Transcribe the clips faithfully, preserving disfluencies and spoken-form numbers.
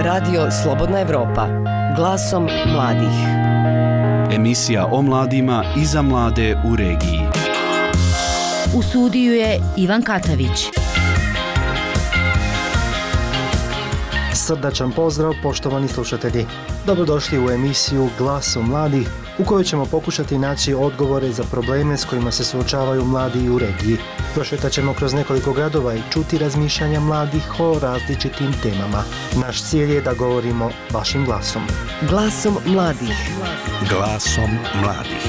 Radio Slobodna Evropa, glasom mladih. Emisija o mladima i za mlade u regiji. U studiju je Ivan Katavić. Srdačan pozdrav, poštovani slušatelji. Dobrodošli u emisiju Glasom mladih, u kojoj ćemo pokušati naći odgovore za probleme s kojima se suočavaju mladi u regiji. Prošetat ćemo kroz nekoliko gradova i čuti razmišljanja mladih o različitim temama. Naš cilj je da govorimo vašim glasom. Glasom mladih. Glasom mladih.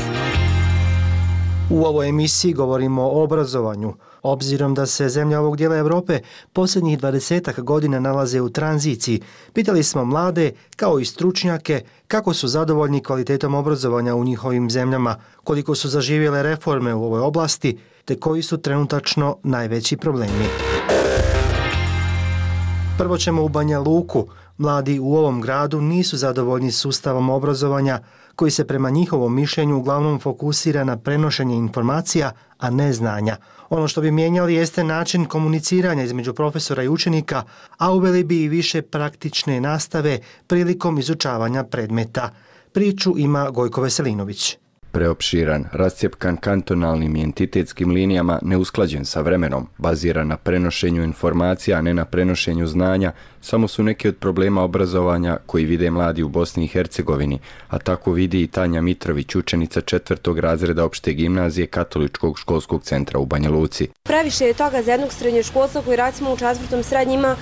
U ovoj emisiji govorimo o obrazovanju. Obzirom da se zemlje ovog dijela Europe posljednjih dvadesetak godina nalaze u tranziciji, pitali smo mlade, kao i stručnjake, kako su zadovoljni kvalitetom obrazovanja u njihovim zemljama, koliko su zaživjele reforme u ovoj oblasti, te koji su trenutačno najveći problemi. Prvo ćemo u Banja Luku. Mladi u ovom gradu nisu zadovoljni sustavom obrazovanja, koji se prema njihovom mišljenju uglavnom fokusira na prenošenje informacija, a ne znanja. Ono što bi mijenjali jeste način komuniciranja između profesora i učenika, a uveli bi i više praktične nastave prilikom izučavanja predmeta. Priču ima Gojko Veselinović. Preopširan, rascjepkan kantonalnim i entitetskim linijama, neusklađen sa vremenom, baziran na prenošenju informacija, a ne na prenošenju znanja, samo su neki od problema obrazovanja koji vide mladi u Bosni i Hercegovini, a tako vidi i Tanja Mitrović, učenica četvrtog razreda opšte gimnazije Katoličkog školskog centra u Banja Luci. Previše je toga za jednog srednjoškolca koji recimo u četvrtom srednjem ima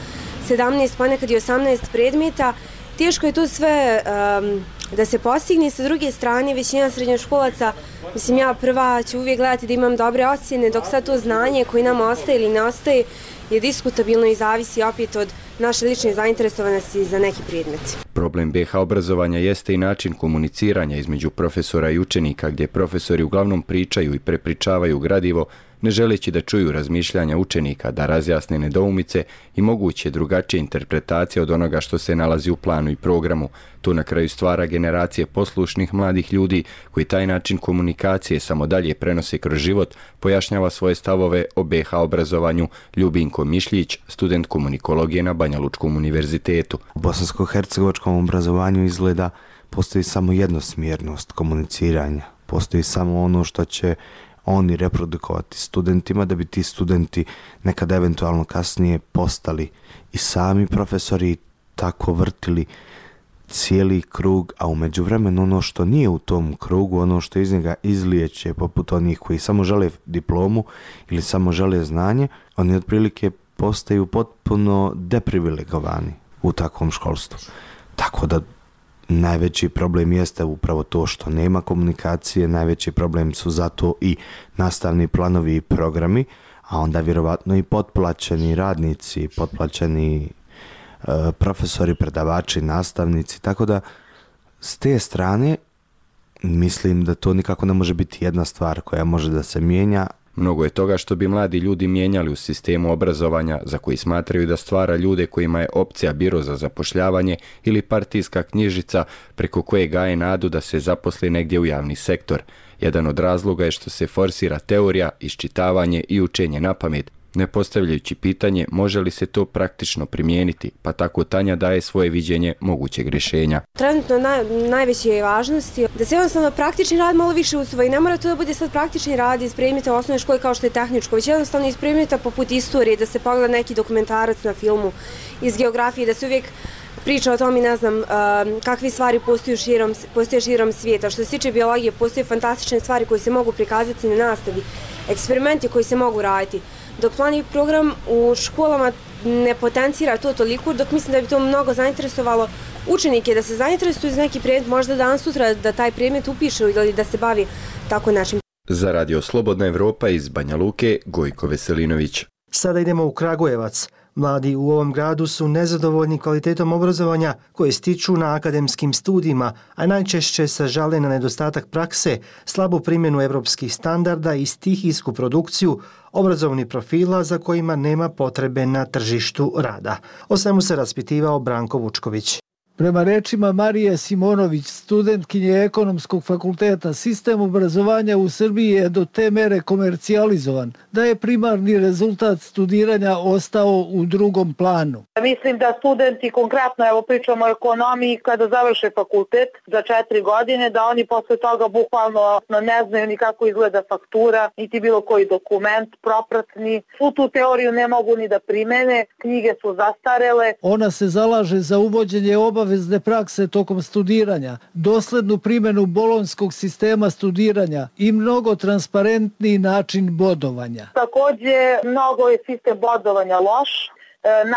sedamnaest, pa nekad i osamnaest predmeta. Teško je to sve um, da se postigne. Sa druge strane, većina srednjoškolaca, mislim ja prva ću uvijek gledati da imam dobre ocjene, dok sad to znanje koje nam ostaje ili ne ostaje je diskutabilno i zavisi opet od naše lične zainteresovanosti za neki predmet. Problem be ha obrazovanja jeste i način komuniciranja između profesora i učenika, gdje profesori uglavnom pričaju i prepričavaju gradivo, ne želeći da čuju razmišljanja učenika, da razjasne nedoumice i moguće drugačije interpretacije od onoga što se nalazi u planu i programu. To na kraju stvara generacije poslušnih mladih ljudi koji taj način komunikacije samo dalje prenose kroz život, pojašnjava svoje stavove o be ha obrazovanju Ljubinko Mišljić, student komunikologije na Banja Lučkom univerzitetu. U bosansko-hercegovačkom obrazovanju izgleda postoji samo jednosmjernost komuniciranja, postoji samo ono što će oni reprodukovati studentima, da bi ti studenti nekad eventualno kasnije postali i sami profesori, tako vrtili cijeli krug, a u međuvremenu ono što nije u tom krugu, ono što iz njega izlijeće, poput onih koji samo žele diplomu ili samo žele znanje, oni otprilike postaju potpuno deprivilegovani u takvom školstvu. Tako da najveći problem jeste upravo to što nema komunikacije, najveći problem su zato i nastavni planovi i programi, a onda vjerovatno i potplaćeni radnici, potplaćeni e, profesori, predavači, nastavnici, tako da s te strane mislim da to nikako ne može biti jedna stvar koja može da se mijenja. Mnogo je toga što bi mladi ljudi mijenjali u sistemu obrazovanja, za koji smatraju da stvara ljude kojima je opcija biro za zapošljavanje ili partijska knjižica preko koje gaje nadu da se zaposli negdje u javni sektor. Jedan od razloga je što se forsira teorija, iščitavanje i učenje na pamet, ne postavljajući pitanje može li se to praktično primijeniti, pa tako Tanja daje svoje viđenje mogućeg rješenja. Trenutno naj, najveće je važnosti da se jednostavno praktični rad malo više usvoji. Ne mora to da bude sad praktični rad iz predmeta u osnovnoj školi kao što je tehničko, već jednostavno iz predmeta poput istorije, da se pogleda neki dokumentarac na filmu, iz geografije, da se uvijek priča o tome, ne znam, kakve stvari postoje širom, postoje širom svijeta. Što se tiče biologije, postoje fantastične stvari koje se mogu prikazati na nastavi, eksperimenti koji se mogu raditi. Dok plani program u školama ne potencira to toliko, dok mislim da bi to mnogo zainteresovalo učenike da se zainteresuju za neki predmet, možda danas sutra da taj predmet upišu ili da se bavi tako našim. Za Radio Slobodna Evropa iz Banja Luke, Gojko Veselinović. Sada idemo u Kragujevac. Mladi u ovom gradu su nezadovoljni kvalitetom obrazovanja koje stiču na akademskim studijima, a najčešće se žale na nedostatak prakse, slabu primjenu evropskih standarda i stihijsku produkciju obrazovnih profila za kojima nema potrebe na tržištu rada. O svemu se raspitivao Branko Vučković. Prema rečima Marije Simonović, studentkinje Ekonomskog fakulteta, sistem obrazovanja u Srbiji je do te mere komercijalizovan da je primarni rezultat studiranja ostao u drugom planu. Mislim da studenti, konkretno evo pričamo o ekonomiji, kada završe fakultet za četiri godine, da oni posle toga bukvalno ne znaju ni kako izgleda faktura, niti bilo koji dokument, propratni. Svu tu teoriju ne mogu ni da primene, knjige su zastarele. Ona se zalaže za uvođenje obavezne prakse tokom studiranja, doslednu primjenu bolonjskog sistema studiranja i mnogo transparentniji način bodovanja. Također, mnogo je sistem bodovanja loš.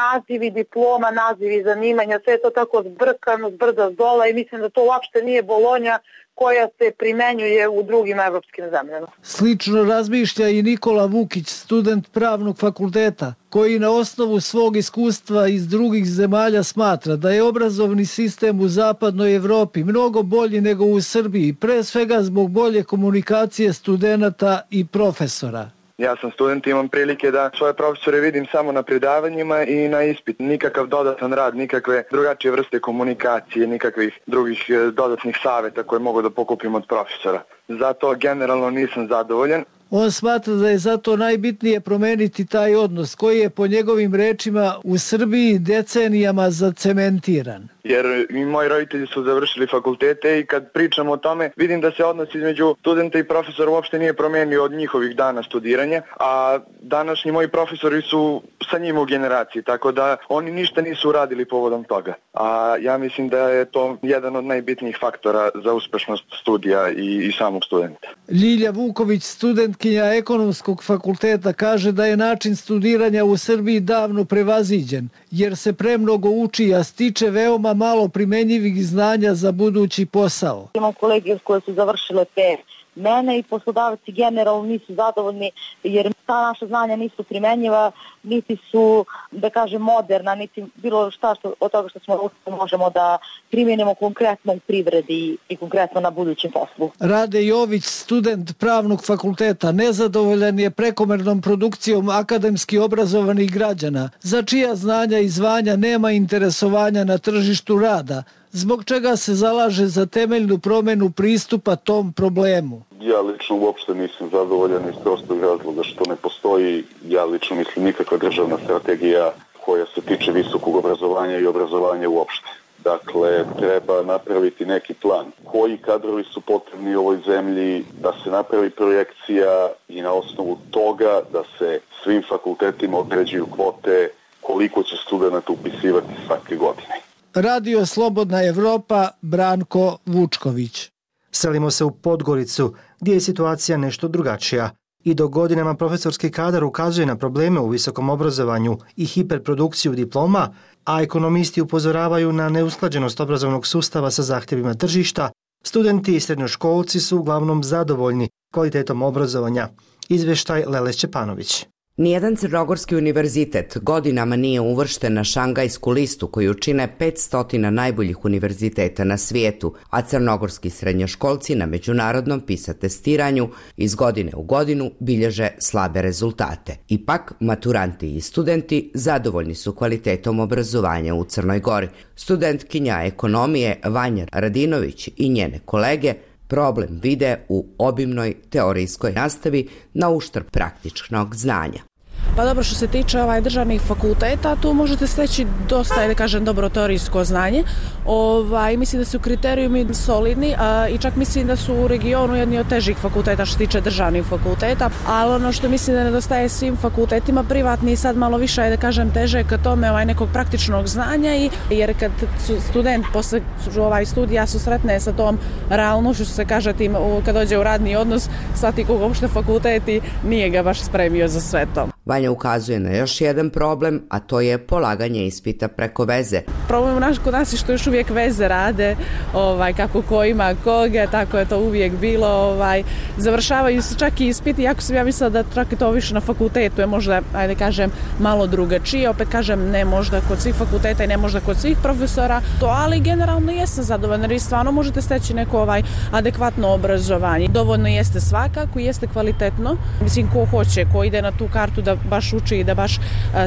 Nazivi diploma, nazivi zanimanja, sve je to tako zbrkano, zbrda zdola i mislim da to uopšte nije Bolonja koja se primenjuje u drugim evropskim zemljama. Slično razmišlja i Nikola Vukić, student pravnog fakulteta, koji na osnovu svog iskustva iz drugih zemalja smatra da je obrazovni sistem u zapadnoj Evropi mnogo bolji nego u Srbiji, pre svega zbog bolje komunikacije studenata i profesora. Ja sam student i imam prilike da svoje profesore vidim samo na predavanjima i na ispit. Nikakav dodatan rad, nikakve drugačije vrste komunikacije, nikakvih drugih dodatnih savjeta koje mogu da pokupim od profesora. Zato generalno nisam zadovoljan. On smatra da je zato najbitnije promeniti taj odnos koji je po njegovim rečima u Srbiji decenijama zacementiran. Jer i moji roditelji su završili fakultete i kad pričamo o tome vidim da se odnos između studenta i profesora uopšte nije promenio od njihovih dana studiranja, a današnji moji profesori su sa njim u generaciji, tako da oni ništa nisu uradili povodom toga. A ja mislim da je to jedan od najbitnijih faktora za uspešnost studija i, i samog studenta. Ljilja Vuković, studentkinja Ekonomskog fakulteta, kaže da je način studiranja u Srbiji davno prevaziđen, jer se premnogo uči, a stiče veoma malo primenjivih znanja za budući posao. Imam kolege koje su završile pe mene i poslodavci generalno nisu zadovoljni jer ta naša znanja nisu primenjiva, niti su, da kažem, moderna, niti bilo šta što, od toga što smo možemo da primjenimo konkretno u privredi i konkretno na budućem poslu. Rade Jović, student pravnog fakulteta, nezadovoljan je prekomernom produkcijom akademski obrazovanih građana, za čija znanja i zvanja nema interesovanja na tržištu rada, zbog čega se zalaže za temeljnu promjenu pristupa tom problemu. Ja lično uopšte nisam zadovoljan iz prostog razloga što ne postoji, ja lično mislim, nikakva državna strategija koja se tiče visokog obrazovanja i obrazovanja uopšte. Dakle, treba napraviti neki plan. Koji kadrovi su potrebni u ovoj zemlji, da se napravi projekcija i na osnovu toga da se svim fakultetima određuju kvote koliko će studenta upisivati svake godine. Radio Slobodna Evropa, Branko Vučković. Selimo se u Podgoricu, gdje je situacija nešto drugačija. I dok godinama profesorski kadar ukazuje na probleme u visokom obrazovanju i hiperprodukciju diploma, a ekonomisti upozoravaju na neusklađenost obrazovnog sustava sa zahtjevima tržišta, studenti i srednjoškolci su uglavnom zadovoljni kvalitetom obrazovanja. Izveštaj Lele Šćepanović. Nijedan crnogorski univerzitet godinama nije uvršten na šangajsku listu koju čine petsto najboljih univerziteta na svijetu, a crnogorski srednjoškolci na međunarodnom PISA testiranju iz godine u godinu bilježe slabe rezultate. Ipak, maturanti i studenti zadovoljni su kvalitetom obrazovanja u Crnoj Gori. Studentkinja ekonomije Vanja Radinović i njene kolege problem vide u obimnoj teorijskoj nastavi na uštrb praktičnog znanja. Pa dobro, što se tiče ovaj državnih fakulteta, tu možete steći dosta, da kažem, dobro teorijsko znanje. Ovaj, mislim da su kriterijumi solidni a, i čak mislim da su u regionu jedni od težih fakulteta što se tiče državnih fakulteta, ali ono što mislim da nedostaje svim fakultetima privatni sad malo više je, da kažem, teže ka tome ovaj, nekog praktičnog znanja, i, jer kad su student posle ovaj, studija susretne sa tom realnošću, što se kaže, tim, kad dođe u radni odnos, shvati koga uopšte fakulteti nije ga baš spremio za sve to. Vanja ukazuje na još jedan problem, a to je polaganje ispita preko veze. Problem u naš, kod nas je što još uvijek veze rade, ovaj, kako ko ima koga, tako je to uvijek bilo. Ovaj, završavaju se čak i ispiti, iako sam ja mislila da čak i to više na fakultetu je možda, ajde kažem, malo drugačije. Opet kažem, ne možda kod svih fakulteta i ne možda kod svih profesora, to, ali generalno jesam zadovoljna jer stvarno možete steći neko ovaj, adekvatno obrazovanje. Dovoljno jeste svakako, jeste kvalitetno. Mislim, ko hoće, ko ide na tu kartu da baš uči i da baš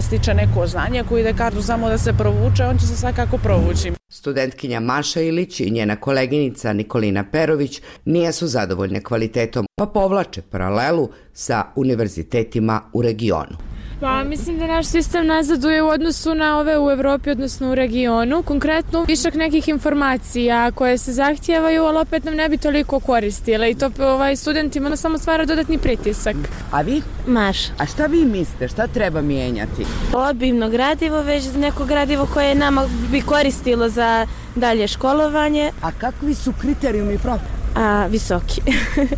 stiče neko znanje, koji ide kartu samo da se provuče, on će se svakako provući. Studentkinja Maša Ilić i njena koleginica Nikolina Perović nijesu zadovoljne kvalitetom, pa povlače paralelu sa univerzitetima u regionu. Pa mislim da naš sistem nazaduje u odnosu na ove u Evropi, odnosno u regionu. Konkretno višak nekih informacija koje se zahtijevaju, ali opet nam ne bi toliko koristile i to ovaj, studentima samo stvara dodatni pritisak. A vi? Maša. A šta vi mislite? Šta treba mijenjati? Obimno gradivo, već neko gradivo koje nama bi koristilo za dalje školovanje. A kakvi su kriterijumi profesora? A, visoki.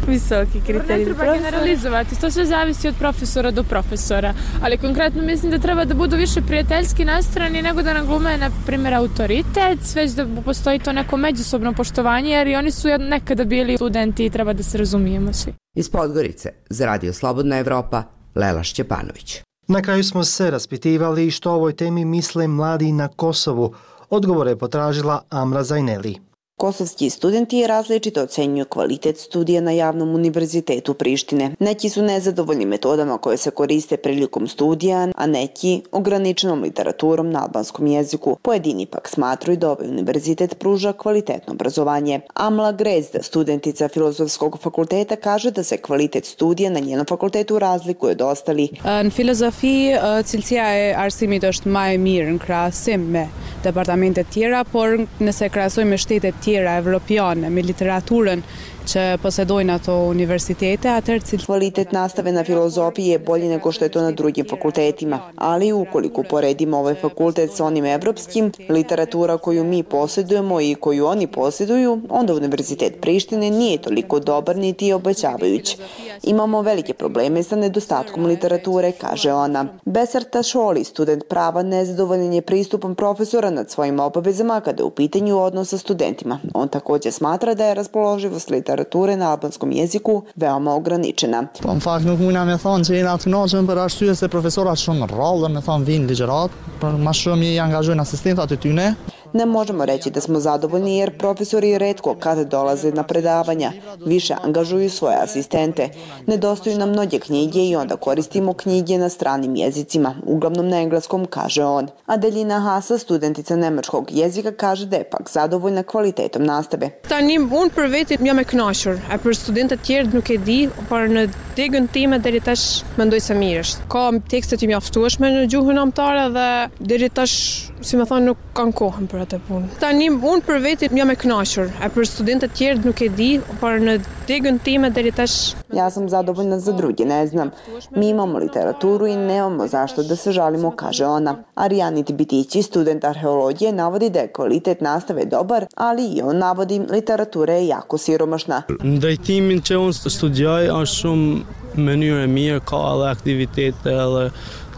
Visoki kriterij. Ne treba generalizovati, to sve zavisi od profesora do profesora, ali konkretno mislim da treba da budu više prijateljski nastrojeni nego da nam glume, na primjer, autoritet, već da postoji to neko međusobno poštovanje, jer i oni su nekada bili studenti i treba da se razumijemo svi. Iz Podgorice, za Radio Slobodna Evropa, Lela Šćepanović. Na kraju smo se raspitivali što o ovoj temi misle mladi na Kosovu. Odgovore je potražila Amra Zajneli. Kosovski studenti različito ocenjuju kvalitet studija na javnom univerzitetu Prištine. Neki su nezadovoljni metodama koje se koriste prilikom studija, a neki ograničenom literaturom na albanskom jeziku. Pojedini pak smatruju da ovaj univerzitet pruža kvalitetno obrazovanje. Amla Grezda, studentica Filozofskog fakulteta, kaže da se kvalitet studija na njenom fakultetu razlikuje od ostalih. Në filozofi, cilësia e arsimit është më e mirë në krahasim me departamentet tjera, por nëse krahasojmë shtetet tjera evropiane me literaturën će posedojnë ato univerzitete, atëherë cilë... Kvalitet nastave na filozofiji je bolji nego što je to na drugim fakultetima, ali ukoliko poredimo ovaj fakultet sa onim evropskim, literatura koju mi posjedujemo i koju oni posjeduju, onda Univerzitet Prištine nije toliko dobar niti obećavajuć. Imamo velike probleme sa nedostatkom literature, kaže ona. Besar Tašoli, student prava, nezadovoljan je pristupom profesora nad svojim obavezama kada je u pitanju odnos sa studentima. On također smatra da je raspoloživost literature na albanskom jeziku veoma ograničena. Po në fakt nuk mujna me thonë që jena të knoqen për arsye se profesorat shumë rrallë, me thonë vinë ligjërat, për ma shumë i angazhojnë asistentat e tyne. Ne možemo reći da smo zadovoljni jer profesori retko kada dolaze na predavanja, više angažuju svoje asistente. Nedostaju nam mnoge knjige i onda koristimo knjige na stranim jezicima, uglavnom na engleskom, kaže on. Adelina Hasa, studentica nemačkog jezika, kaže da je pak zadovoljna kvalitetom nastave. Tani unë për veti jam e kënaqur, a për studentët tjerë nuk e di, por në degën time deri tash mendoj se mirë është. Ka tekstet i mjaftueshme në gjuhën anëtare dhe deri tash, si më thonë, nuk kanë kohën për atë punë. Tani unë për veti jam e kënaqur, a për studentët tjerë nuk e di, por në degën time deri tash. Ja sam zadovoljna, za druge ne znam. Mi imamo literaturu i nemamo zašto da se žalimo, kaže ona. Arijanit Bitići, student arheologije, navodi da je kvalitet nastave dobar, ali i on navodi literatura je jako siromašna. Drejtimin që unë studioj është shumë mënyrë e mirë, ka edhe aktivitete edhe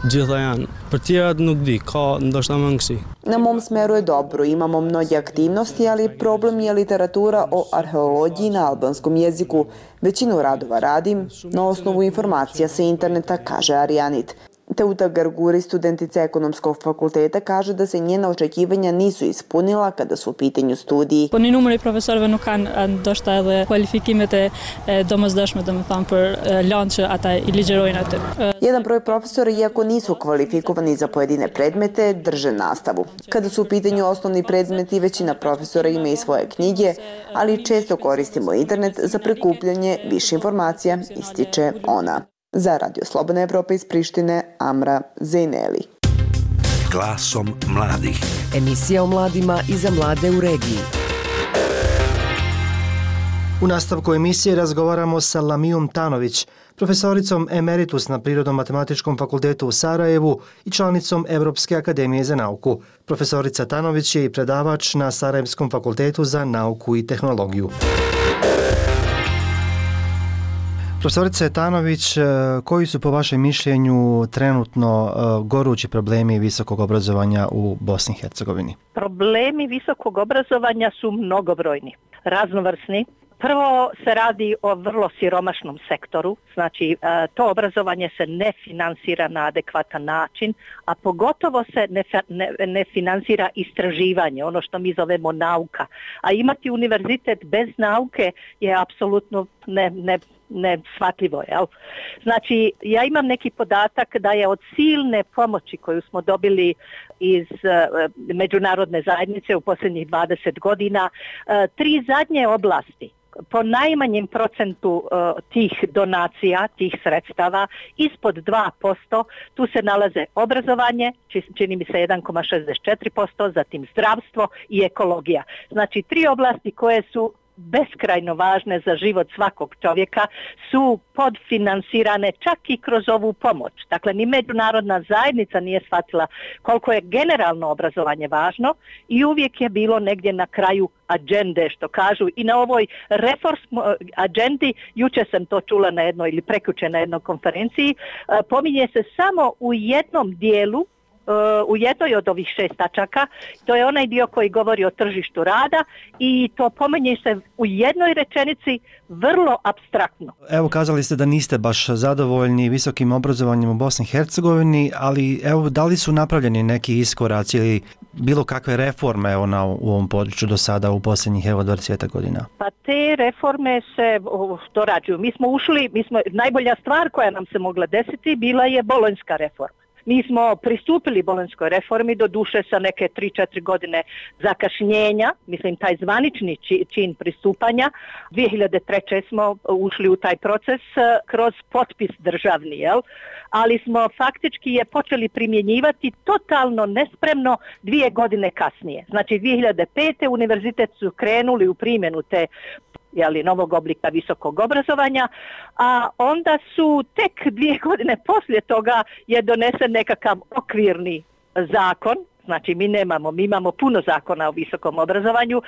gjitha janë. Për tjerat nuk di, ka ndoshta mangësi. Na mom smeru je dobro, imamo mnoge aktivnosti, ali problem je literatura o arheologiji na albanskom jeziku. Većinu radova radim na osnovu informacija sa interneta, kaže Arijanit. Teuta Garguri, studentica ekonomskog fakulteta, kaže da se njena očekivanja nisu ispunila kada su u pitanju studiji. Po një numër i profesorëve nuk kanë ndoshta edhe kualifikimet e domosdoshme, domethënë për lanë që ata i ligjerojnë atë. Jedan broj profesora, iako nisu kvalifikovani za pojedine predmete, drže nastavu. Kada su u pitanju osnovni predmeti, većina profesora ima i svoje knjige, ali često koristimo internet za prikupljanje više informacija, ističe ona. Za Radio Slobodna Evropa iz Prištine, Amra Zajneli. Glasom mladih. Emisija o mladima i za mlade u regiji. U nastavku emisije razgovaramo sa Lamijom Tanović, profesoricom emeritus na Prirodno-matematičkom fakultetu u Sarajevu i članicom Evropske akademije za nauku. Profesorica Tanović je i predavač na Sarajevskom fakultetu za nauku i tehnologiju. Profesorice Tanović, koji su po vašem mišljenju trenutno gorući problemi visokog obrazovanja u Bosni i Hercegovini? Problemi visokog obrazovanja su mnogobrojni, raznovrsni. Prvo se radi o vrlo siromašnom sektoru, znači to obrazovanje se ne finansira na adekvatan način, a pogotovo se ne, ne, ne finansira istraživanje, ono što mi zovemo nauka. A imati univerzitet bez nauke je apsolutno ne, ne, neshvatljivo, jel? Znači, ja imam neki podatak da je od silne pomoći koju smo dobili iz uh, međunarodne zajednice u posljednjih dvadeset godina, uh, tri zadnje oblasti po najmanjem procentu uh, tih donacija, tih sredstava, ispod dva posto, tu se nalaze obrazovanje, čini mi se jedan zarez šezdeset četiri posto, zatim zdravstvo i ekologija. Znači, tri oblasti koje su beskrajno važne za život svakog čovjeka su podfinansirane čak i kroz ovu pomoć. Dakle, ni međunarodna zajednica nije shvatila koliko je generalno obrazovanje važno i uvijek je bilo negdje na kraju agende, što kažu. I na ovoj reform agendi, jučer sam to čula na jednoj ili prekjučer na jednoj konferenciji, pominje se samo u jednom dijelu, u jednoj od ovih šest tačaka, to je onaj dio koji govori o tržištu rada i to pominje se u jednoj rečenici vrlo apstraktno. Evo, kazali ste da niste baš zadovoljni visokim obrazovanjem u Bosni i Hercegovini, ali evo, da li su napravljeni neki iskoraci ili bilo kakve reforme evo, na, u ovom području do sada u posljednjih evo dvadeset godina? Pa te reforme se oh, dorađuju. Mi smo ušli, mi smo, najbolja stvar koja nam se mogla desiti bila je bolonjska reforma. Mi smo pristupili bolonjskoj reformi, do duše sa neke tri četiri godine zakašnjenja, mislim taj zvanični čin pristupanja. dvije hiljade treće. smo ušli u taj proces kroz potpis državni, jel? Ali smo faktički je počeli primjenjivati totalno nespremno dvije godine kasnije. Znači dvije hiljade pete. univerzitet su krenuli u primjenu te jeli, novog oblika visokog obrazovanja, a onda su tek dvije godine poslije toga je donesen nekakav okvirni zakon. Znači mi nemamo, mi imamo puno zakona o visokom obrazovanju,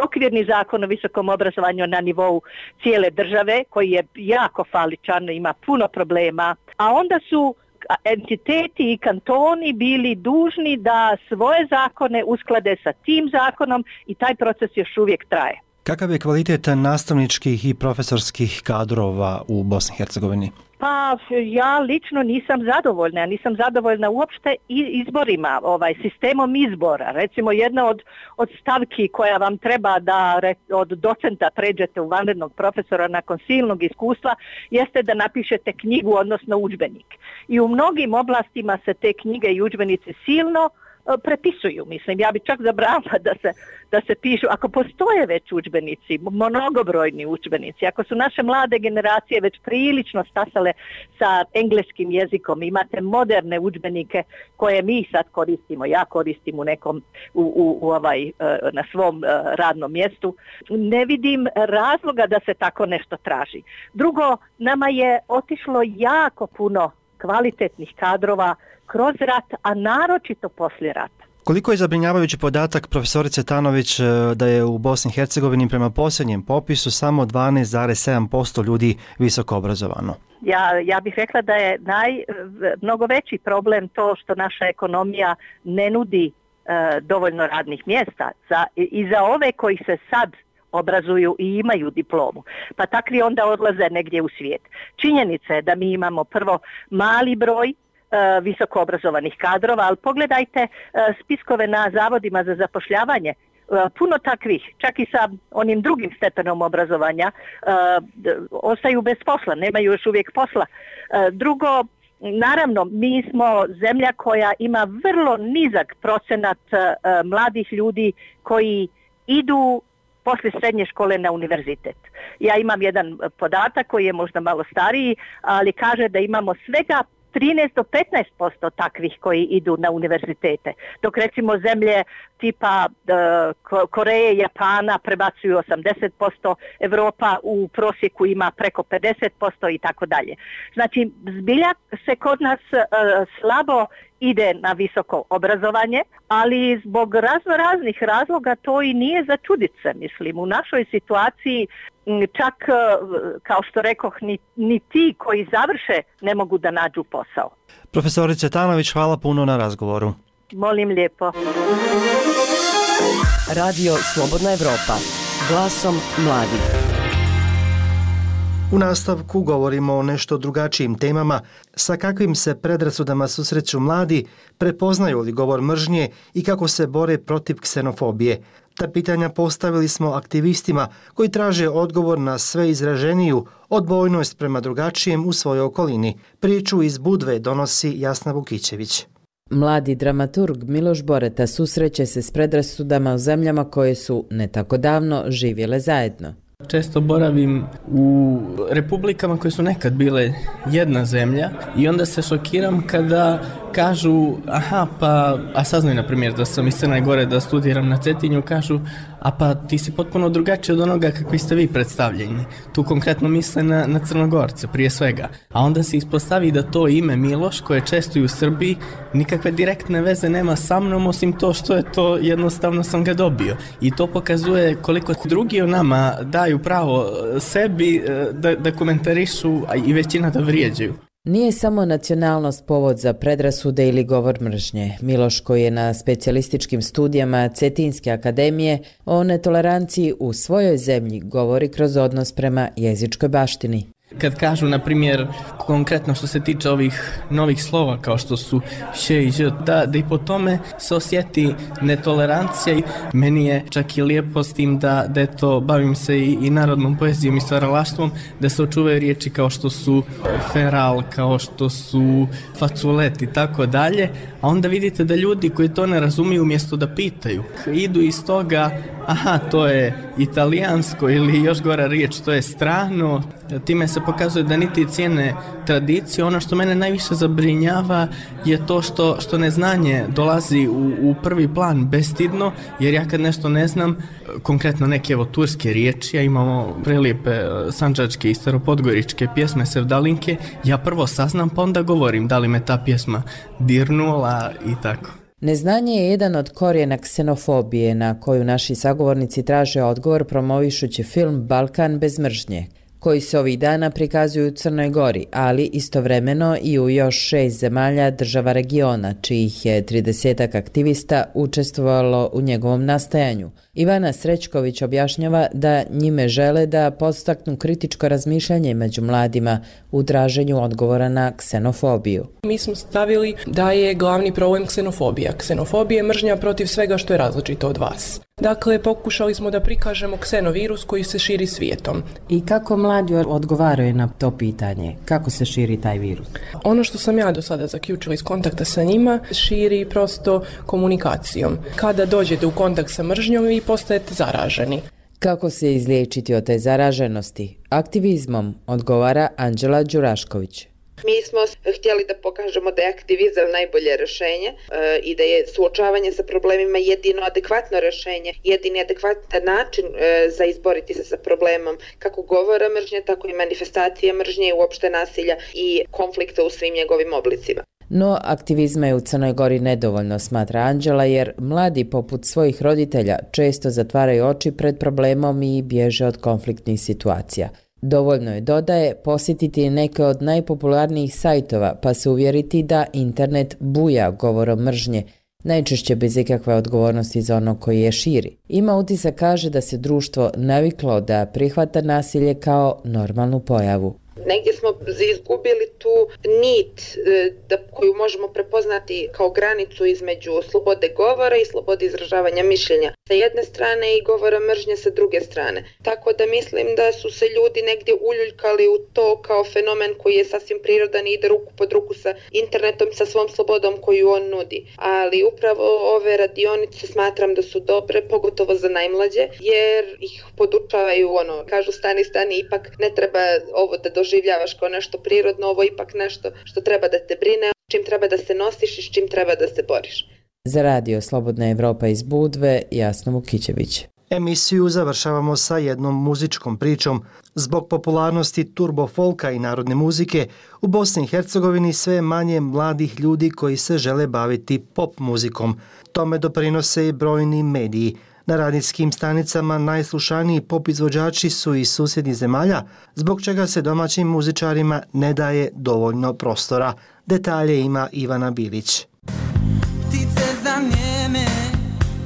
okvirni zakon o visokom obrazovanju na nivou cijele države koji je jako faličan, ima puno problema, a onda su entiteti i kantoni bili dužni da svoje zakone usklade sa tim zakonom i taj proces još uvijek traje. Kakav je kvalitet nastavničkih i profesorskih kadrova u Bosni i Hercegovini? Pa ja lično nisam zadovoljna, ja nisam zadovoljna uopšte izborima, ovaj sistemom izbora. Recimo jedna od, od stavki koja vam treba da od docenta pređete u vanrednog profesora nakon silnog iskustva jeste da napišete knjigu, odnosno udžbenik. I u mnogim oblastima se te knjige i udžbenici silno prepisuju. Mislim, ja bi čak zabranila da se, da se pišu, ako postoje već udžbenici, mnogobrojni udžbenici, ako su naše mlade generacije već prilično stasale sa engleskim jezikom, imate moderne udžbenike koje mi sad koristimo, ja koristim u nekom, u, u, u ovaj, na svom radnom mjestu, ne vidim razloga da se tako nešto traži. Drugo, nama je otišlo jako puno kvalitetnih kadrova kroz rat, a naročito poslije rata. Koliko je zabrinjavajući podatak profesorice Tanović da je u Bosni i Hercegovini prema posljednjem popisu samo dvanaest zarez sedam posto ljudi visoko obrazovano? Ja, ja bih rekla da je naj, mnogo veći problem to što naša ekonomija ne nudi e, dovoljno radnih mjesta za, i za ove koji se sad obrazuju i imaju diplomu, pa takvi onda odlaze negdje u svijet. Činjenica je da mi imamo prvo mali broj uh, visoko obrazovanih kadrova, ali pogledajte uh, spiskove na zavodima za zapošljavanje, uh, puno takvih, čak i sa onim drugim stepenom obrazovanja, uh, ostaju bez posla, nemaju još uvijek posla. Uh, drugo, naravno, mi smo zemlja koja ima vrlo nizak procenat uh, mladih ljudi koji idu poslije srednje škole na univerzitet. Ja imam jedan podatak koji je možda malo stariji, ali kaže da imamo svega trinaest do petnaest posto takvih koji idu na univerzitete. Dok recimo zemlje tipa uh, Koreje, Japana prebacuju osamdeset posto, Europa u prosjeku ima preko pedeset posto i tako dalje. Znači, zbilja se kod nas uh, slabo ide na visoko obrazovanje, ali zbog razno raznih razloga to i nije za čudit se, mislim. U našoj situaciji čak, kao što rekoh, ni, ni ti koji završe ne mogu da nađu posao. Profesorice Tanović, hvala puno na razgovoru. Molim lijepo. Radio Slobodna Evropa, glasom mladih. U nastavku govorimo o nešto drugačijim temama, sa kakvim se predrasudama susreću mladi, prepoznaju li govor mržnje i kako se bore protiv ksenofobije. Ta pitanja postavili smo aktivistima koji traže odgovor na sve izraženiju odbojnost prema drugačijem u svojoj okolini. Priču iz Budve donosi Jasna Vukićević. Mladi dramaturg Miloš Boreta susreće se s predrasudama u zemljama koje su ne tako davno živjele zajedno. Često boravim u republikama koje su nekad bile jedna zemlja i onda se šokiram kada kažu, aha, pa, a saznaju na primjer da sam iz Crne Gore da studiram na Cetinju, kažu, a pa ti si potpuno drugačiji od onoga kakvi ste vi predstavljeni. Tu konkretno misle na, na Crnogorce prije svega. A onda se ispostavi da to ime Miloš, koje je često i u Srbiji, nikakve direktne veze nema sa mnom, osim to što je to jednostavno sam ga dobio. I to pokazuje koliko drugi o nama daju pravo sebi da, da komentarišu, a i većina da vrijeđaju. Nije samo nacionalnost povod za predrasude ili govor mržnje. Miloš, koji je na specijalističkim studijama Cetinske akademije, o netoleranciji u svojoj zemlji govori kroz odnos prema jezičkoj baštini. Kad kažu, na primjer, konkretno što se tiče ovih novih slova kao što su še i ž, da, da i po tome se osjeti netolerancija. Meni je čak i lijepo s tim da, da eto, bavim se i, i narodnom poezijom i stvaralaštvom, da se očuvaju riječi kao što su feral, kao što su faculet i tako dalje, a onda vidite da ljudi koji to ne razumiju umjesto da pitaju, idu iz toga, aha, to je italijansko ili još gora riječ, to je strano. Time se pokazuje da niti cijene tradicije. Ono što mene najviše zabrinjava je to što, što neznanje dolazi u, u prvi plan bestidno, jer ja kad nešto ne znam, konkretno neke evo turske riječi, a imamo prelijepe sandžačke i staropodgoričke pjesme sevdalinke, ja prvo saznam pa onda govorim da li me ta pjesma dirnula i tako. Neznanje je jedan od korijena ksenofobije na koju naši sagovornici traže odgovor promovišući film Balkan bez mržnje, koji se ovih dana prikazuju u Crnoj Gori, ali istovremeno i u još šest zemalja država regiona, čijih je tridesetak aktivista učestvovalo u njegovom nastajanju. Ivana Srećković objašnjava da njime žele da podstaknu kritičko razmišljanje među mladima u traženju odgovora na ksenofobiju. Mi smo stavili da je glavni problem ksenofobija. Ksenofobija je mržnja protiv svega što je različito od vas. Dakle, pokušali smo da prikažemo ksenovirus koji se širi svijetom. I kako mladi odgovaraju na to pitanje? Kako se širi taj virus? Ono što sam ja do sada zaključila iz kontakta sa njima, širi prosto komunikacijom. Kada dođete u kontakt sa mržnjom, vi postajete zaraženi. Kako se izliječiti od te zaraženosti? Aktivizmom, odgovara Anđela Đurašković. Mi smo htjeli da pokažemo da je aktivizam najbolje rješenje e, i da je suočavanje sa problemima jedino adekvatno rješenje, jedini adekvatan način e, za izboriti se sa problemom kako govora mržnje, tako i manifestacije mržnje i uopšte nasilja i konflikta u svim njegovim oblicima. No, aktivizma je u Crnoj Gori nedovoljno, smatra Anđela, jer mladi poput svojih roditelja često zatvaraju oči pred problemom i bježe od konfliktnih situacija. Dovoljno je, dodaje, posjetiti neke od najpopularnijih sajtova pa se uvjeriti da internet buja govorom mržnje, najčešće bez ikakve odgovornosti za ono koji je širi. Ima utisak, kaže, da se društvo naviklo da prihvata nasilje kao normalnu pojavu. Negdje smo izgubili tu nit da, koju možemo prepoznati kao granicu između slobode govora i slobode izražavanja mišljenja sa jedne strane i govora mržnje sa druge strane. Tako da mislim da su se ljudi negdje uljuljkali u to kao fenomen koji je sasvim prirodan i ide ruku pod ruku sa internetom, sa svom slobodom koju on nudi. Ali upravo ove radionice smatram da su dobre, pogotovo za najmlađe, jer ih podučavaju, ono, kažu stani, stani, ipak ne treba ovo da doživljavaš kao nešto prirodno, ovo ipak nešto što treba da te brine, čim treba da se nosiš i s čim treba da se boriš. Za radio Slobodna Evropa iz Budve, Jasna Vukićević. Emisiju završavamo sa jednom muzičkom pričom. Zbog popularnosti turbo folka i narodne muzike, u Bosni i Hercegovini sve manje mladih ljudi koji se žele baviti pop muzikom. Tome doprinose i brojni mediji. Na radijskim stanicama najslušaniji pop izvođači su iz susjednih zemalja, zbog čega se domaćim muzičarima ne daje dovoljno prostora. Detalje ima Ivana Bilić. Ptice zanijeme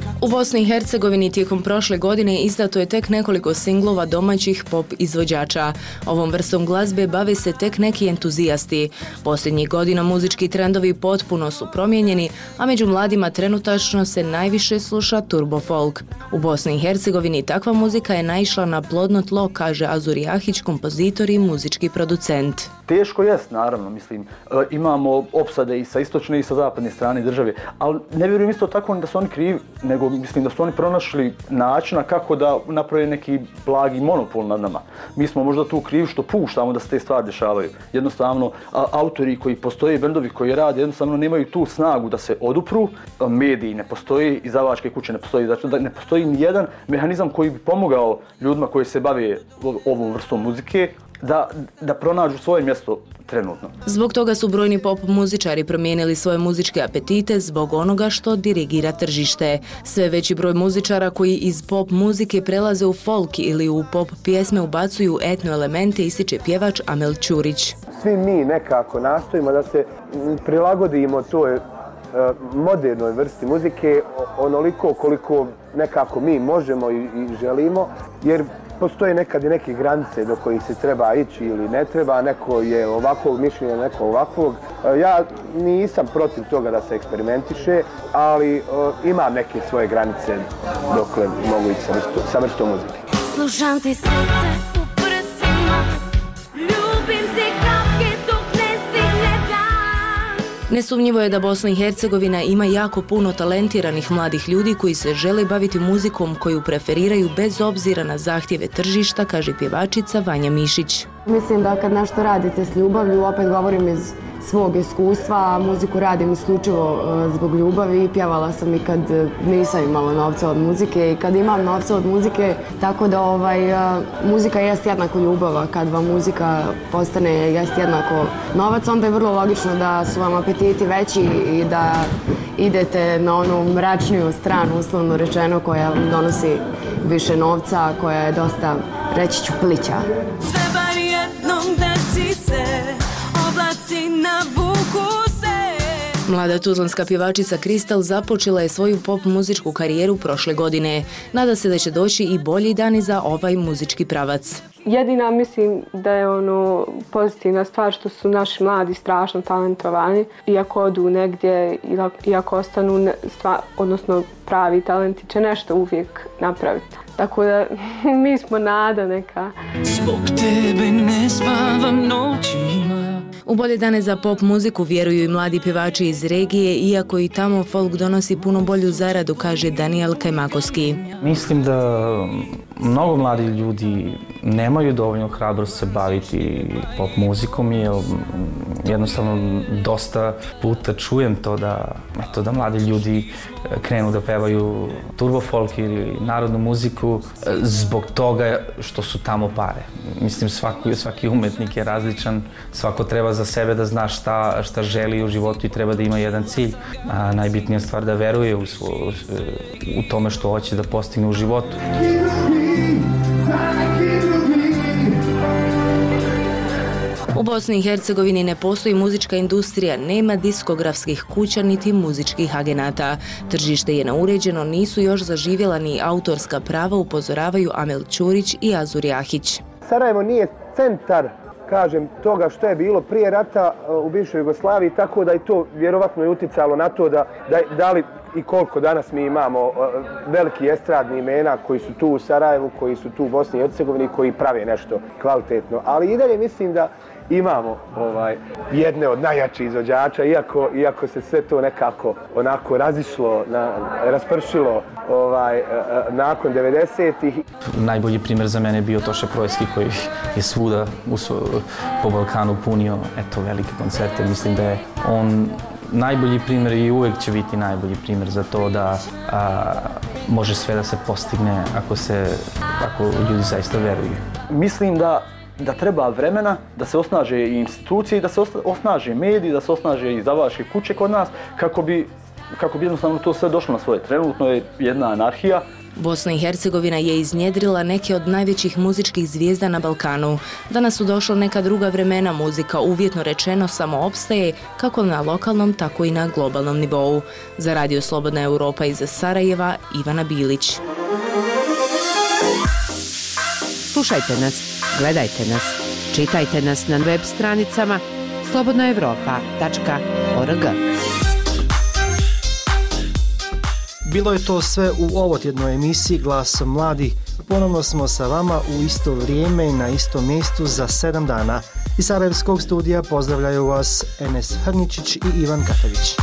kad U Bosni i Hercegovini tijekom prošle godine izdato je tek nekoliko singlova domaćih pop izvođača. Ovom vrstom glazbe bave se tek neki entuzijasti. Posljednjih godina muzički trendovi potpuno su promijenjeni, a među mladima trenutačno se najviše sluša turbo folk. U Bosni i Hercegovini takva muzika je naišla na plodno tlo, kaže Azur Jahić, kompozitor i muzički producent. Teško jest, naravno, mislim, imamo opsade i sa istočne i sa zapadne strane države, ali ne vjerujem isto tako da su oni krivi, nego mislim da su oni pronašli načina kako da naprave neki blagi monopol nad nama. Mi smo možda tu krivi što puštamo da se te stvari dešavaju. Jednostavno, a, autori koji postoje, bendovi koji rade, jednostavno nemaju tu snagu da se odupru, mediji ne postoji, izdavačke kuće ne postoji, znači da ne postoji ni jedan mehanizam koji bi pomogao ljudima koji se bave ovom vrstom muzike, Da, da pronađu svoje mjesto trenutno. Zbog toga su brojni pop muzičari promijenili svoje muzičke apetite zbog onoga što dirigira tržište. Sve veći broj muzičara koji iz pop muzike prelaze u folk ili u pop pjesme ubacuju etno elemente, ističe pjevač Amel Ćurić. Svi mi nekako nastojimo da se prilagodimo toj modernoj vrsti muzike onoliko koliko nekako mi možemo i, i želimo, jer postoje nekad i neke granice do kojih se treba ići ili ne treba, neko je ovakvog mišljenja, neko ovakvog. Ja nisam protiv toga da se eksperimentiše, ali uh, imam neke svoje granice dokle mogu ići sa, vrsto, sa vrstom muzike. Slušam ti srce u prsima, ljubim ti kapke dok ne stigne dan. Nesumnjivo je da Bosna i Hercegovina ima jako puno talentiranih mladih ljudi koji se žele baviti muzikom koju preferiraju bez obzira na zahtjeve tržišta, kaže pjevačica Vanja Mišić. Mislim da kad nešto radite s ljubavlju, opet govorim iz svog iskustva, muziku radim isključivo zbog ljubavi. Pjevala sam i kad nisam imala novca od muzike i kad imam novca od muzike, tako da ovaj, muzika jest jednako ljubava. Kad vam muzika postane jest jednako novac, onda je vrlo logično da su vam apetiti veći i da idete na onu mračniju stranu, uslovno rečeno, koja vam donosi više novca, koja je dosta, reći ću, plića. Sve bar jednom desi se, oblaci navuku se. Mlada tuzlanska pjevačica Kristal započela je svoju pop muzičku karijeru prošle godine. Nada se da će doći i bolji dani za ovaj muzički pravac. Jedina mislim da je ono pozitivna stvar što su naši mladi strašno talentovani. Iako odu negdje, iako ostanu stvar, odnosno pravi talenti će nešto uvijek napraviti. Tako da mi smo nada neka. Zbog tebe ne spavam noćima. U bolje dane za pop muziku vjeruju i mladi pjevači iz regije, iako i tamo folk donosi puno bolju zaradu, kaže Daniel Kajmakovski. Mislim da mnogo mladi ljudi nemaju dovoljno hrabrost se baviti pop muzikom, jer jednostavno dosta puta čujem to da, eto, da mladi ljudi krenu da pevaju turbo folk ili narodnu muziku zbog toga što su tamo pare. Mislim, svaki, svaki umetnik je različan, svako treba za sebe da zna šta, šta želi u životu i treba da ima jedan cilj. A najbitnija stvar da veruje u, svo, u tome što hoće da postigne u životu. U Bosni i Hercegovini ne postoji muzička industrija, nema diskografskih kuća niti muzičkih agenata. Tržište je neuređeno, nisu još zaživjela ni autorska prava, upozoravaju Amel Ćurić i Azur Jahić. Sarajevo nije centar, kažem, toga što je bilo prije rata u bivšoj Jugoslaviji, tako da i to vjerovatno je uticalo na to da, da, da li i koliko danas mi imamo veliki estradni imena koji su tu u Sarajevu, koji su tu u Bosni i Hercegovini, koji prave nešto kvalitetno. Ali i dalje mislim da imamo ovaj, jedne od najjačih izvođača, iako, iako se sve to nekako onako razišlo, na, raspršilo ovaj, nakon devedesetih. Najbolji primjer za mene je bio Toše Projski koji je svuda u, po Balkanu punio eto, velike koncerte. Mislim da je on najbolji primjer i uvijek će biti najbolji primjer za to da a, može sve da se postigne ako, se, ako ljudi zaista veruju. Mislim da da treba vremena da se osnaže i institucije, da se osnaže mediji, da se osnaže i izdavačke kuće kod nas, kako bi, kako bi jednostavno to sve došlo na svoje. Trenutno je jedna anarhija, Bosna i Hercegovina je iznjedrila neke od najvećih muzičkih zvijezda na Balkanu. Danas su došla neka druga vremena, muzika uvjetno rečeno samo opstaje kako na lokalnom, tako i na globalnom nivou. Za Radio Slobodna Europa iz Sarajeva, Ivana Bilić. Slušajte nas, gledajte nas, čitajte nas na web stranicama slobodna europa tačka org. Bilo je to sve u ovotjednoj emisiji Glasom mladih. Ponovno smo sa vama u isto vrijeme i na istom mjestu za sedam dana. Iz Sarajevskog studija pozdravljaju vas Enes Hrničić i Ivan Katavić.